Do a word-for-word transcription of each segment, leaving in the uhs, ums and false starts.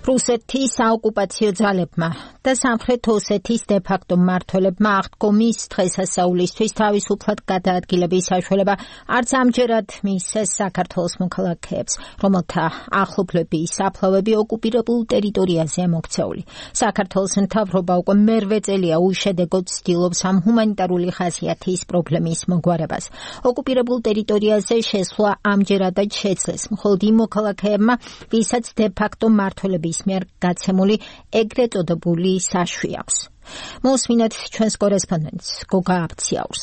რუსეთის საოკუპაციო ძალებმა და სამხრეთ ოსეთის დე-ფაქტო მმართველებმა აღდგომის დღესასწაულისთვის თავისუფლად გადაადგილების საშუალება არც ამჯერად მისცეს საქართველოს მოქალაქეებს, რომელთა ახლობლების საფლავები ოკუპირებულ ტერიტორიაზეა მოქცეული. საქართველოს მთავრობა უკვე მერვე წელია უშედეგოდ ცდილობს ამ ჰუმანიტარული ხასიათის პრობლემის მოგვარებას. ოკუპირებულ ტერიტორიაზე შესვლა ამჯერადაც შეძლეს, მხოლოდ იმ მოქალაქეებმა, ვისაც დე-ფაქტო მმართველების მიერ გაცემული ეგრეთ წოდებული საშვი აქვს. მოსმინეთ ჩვენს კორესპონდენტს გოგა აბციაურს.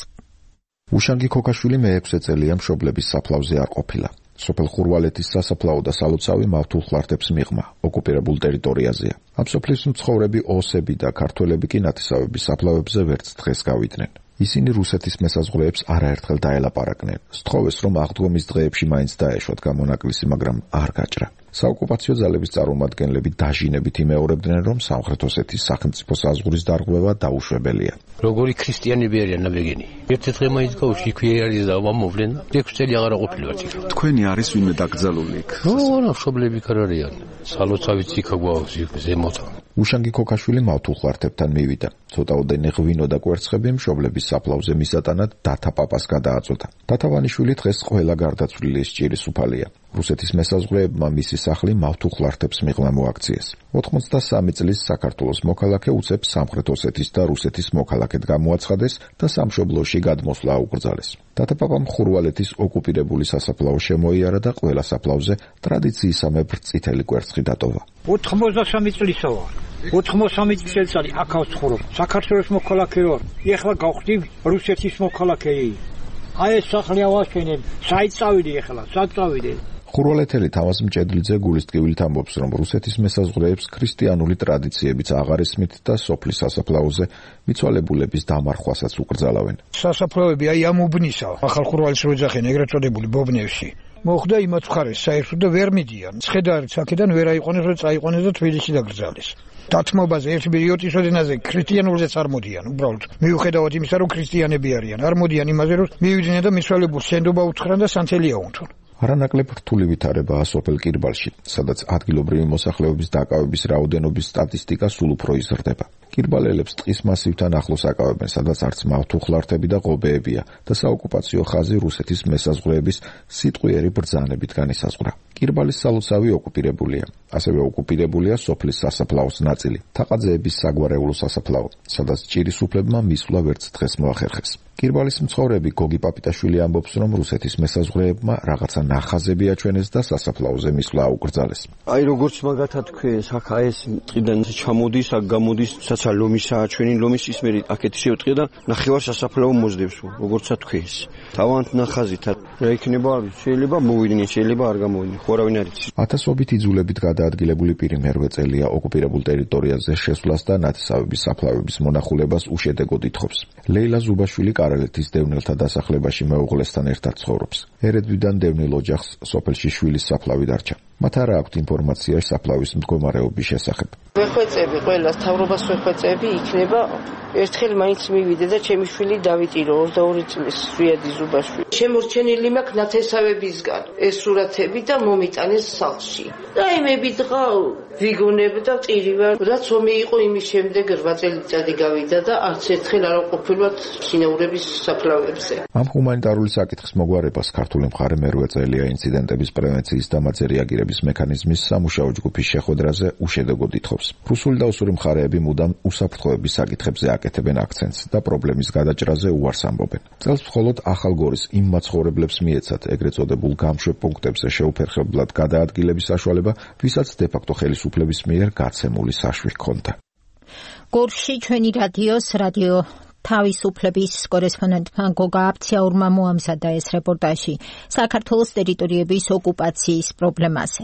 უშანგი ქოქაშვილი მეექვსე წელია მშობლების საფლავზე არ ყოფილა. სოფელ ხურვალეთის სასაფლაო და სალოცავი მავთულ ხლარტებს მიღმა ოკუპირებულ ტერიტორიაზეა. ამ სოფლის მცხოვრები ოსები და ქართველები კი ნათესავების საფლავებზე ვერც დღეს გავიდნენ. ისინი რუსეთის მესაზღვრეებს არაერთხელ დაელაპარაკნენ. სთხოვეს, რომ აღდგომის დღეებში მაინც დაეშვათ გამონაკლისი, მაგრამ არ გაჭრა. საოკუპაციო ძალების წარმომადგენლები დაჟინებით იმეორებდნენ, რომ სამხრეთ ოსეთის სახელმწიფო საზღვრის დარღვევა დაუშვებელია. როგორი ქრისტიანები არიან ნაბეგენი. ერთი დღე მაინც გავუშვი იქვე არის და მომოვლენ. ექვსი წელი აღარ ყოფილვართ იქ. თქვენი არის ვინმე დაკრძალული იქ? ო, მშობლები კი არ არიან. სალოცავიც იქ გვაქვს იქ ზემოთა. უშანგი ქოქაშვილი მავთულ ხლარტებთან მივიდა. ცოტაოდენი ღვინო და კვერცხები მშობლების საფლავზე მისატანად დათა პაპას გადააწოდა. დათავანიშვილი დღეს ყველა გარდაცვლილი სჭირის უფალია. რუსეთის მესაზღვრეებმა მისი სახლი მავთულ ხლარტებს მიღმა მოაქციეს. ოთხმოცდასამი წლის საქართველოს მოქალაქე უცებ სამხრეთ ოსეთის და რუსეთის მოქალაქედ გამოაცხადეს და სამშობლოში გადმოსვლა აუკრძალეს. დათაპაპამ ხურვალეთის ოკუპირებული სასაფლაო შემოიარა და ყველა საფლავზე ტრადიციისამებრ წითელი კვერცხი დატოვა. ოთხმოცდასამი წლისა ვარ. ოთხმოცდასამი წელი აქ ავცხოვრობ. საქართველოს მოქალაქე ვარ. ეხლა გავხდი რუსეთის მოქალაქე. აი ეს სახლი ავაშენებ. საით წავიდე ეხლა? სად წავიდე? ხურვალეთელი თამაზ მჭედლიძე გულის ტკივილით ამბობს, რომ რუსეთის მესაზღვრეებს ქრისტიანული ტრადიციებიც აღარ ესმით და სოფლის სასაფლაოზე მიცვალებულების დამარხვასაც უკრძალავენ. სასაფლაოები აი ამ უბნისა, ახალ ხურვალის როძახენ ეგრეთ წოდებული ბობნევში. მოხდა იმათ მხარეს საერთოდ და ვერ მიდიან. ცხედარით აქედან ვერ აიყვანეს, რომ წაიყვანეს და თბილისში დაკრძალეს. დათმობაზე ერთ ბიოტის ოდენაზე ქრისტიანულზეც არ მოდიან, უბრალოდ მიუხედავად იმისა, რომ ქრისტიანები არიან, არ მოდიან იმაზე, რომ მივიდნენ და მიცვალებულს შენდობა უთხრან და სანთელია უნთონ. არანაკლებ რთული ვითარებაა სოფელ კირბალში, სადაც ადგილობრივი მოსახლეობის დაკავების რაოდენობის სტატისტიკა სულ უფრო იზრდება. კირბალელებს ტყის მასივთან ახლოს აკავებენ, სადაც არც მავთულ ხლარტები და ღობეებია და საოკუპაციო ხაზი რუსეთის მესაზღვრეების სიტყვიერი ბრძანებით განისაზღვრა. კირბალის სალოცავი ოკუპირებულია. ასევე ოკუპირებულია სოფლის სასაფლაოს ნაწილი, თაყაძეების საგვარეულო სასაფლაო, სადაც ჭირის უფლებმა მისვლა ვერც დღეს მოახერხეს. კირბალის მცხოვრები გოგი პაპიტაშვილი ამბობს, რომ რუსეთის მესაზღვრეებმა რაღაცა ნახაზები აჩვენეს და სასაფლაოზე მისვლა აუკრძალეს. აი როგორც მაგათად თქვენს, აქ აი ეს ტყიდან ჩამოდის, აქ გამოდის, საცა ლომისა აჩვენინ, ლომის ისმერი აქეთ შევტყე და ნახევარ სასაფლაო მოძდებს, როგორცა თქვენს. თავად ნახაზით რა იქნება, შეიძლება მოვიდნენ, შეიძლება არ გამოვიდნენ, ხო არავინ არ იცის. ათასობით იძულებით გადაადგილებული პირი მერვე წელია ოკუპირებულ ტერიტორიაზე შესვლას და ნათესავების საფლავების მონახულებას უშედეგოდ ითხოვს. ლეილა ზუბაშვილი კარელეთის დევნილთა დასახლებაში მეუღლესთან ერთად ცხოვრობს. ერედვიდან დევნილ ოჯახს სოფელში შვილის საფლავი დარჩა. მათ არ აქვთ ინფორმაცია საფლავის მდგომარეობის შესახებ. ვეხვეწები ყველას თავრობას ვეხვეწები იქნება ერთხელ მაინც მივიდე და ჩემი შვილი დავიტირო ოცდაორი წლის ზვიადი ზუბაშვილი. შემორჩენილი მაქვს ნათესავებისგან ეს სურათები და მომიტანეს სახლში. და იმები დღა ვიგონებ და წირივარ. რაც ომი იყო იმის შემდეგ რვა წელიწადი გავიდა და არც ერთხელ არ ყოფილვად შინაურების საფლავებზე. ამ ჰუმანიტარული საკითხის მოგვარებას ქართული მხარე მერვე წელია ინციდენტების პრევენციის და მათზე რეაგირების მექანიზმის სამუშაო ჯგუფის შეხვედრაზე უშედეგოდ ითხოვს. რუსული და ოსური მხარეები მუდამ უსაფრთხოების საკითხებზე აკეთებენ აქცენტს და პრობლემის გადაჭრაზე უარს ამბობენ. წელს მხოლოდ ახალგორის იმ მაცხოვრებლებს მიეცათ ეგრეთ წოდებულ გამშვებ პუნქტებზე შეუფერხებლად გადაადგილების საშუალება, ვისაც დე-ფაქტო ხელისუფლების მიერ გაცემული საშვი ჰქონდა. გორში ჩვენი რადიოს რადიო თავისუფლების კორესპონდენტმა გოგა აბციაურმა მოამზადა ეს რეპორტაჟი საქართველოს ტერიტორიების ოკუპაციის პრობლემაზე.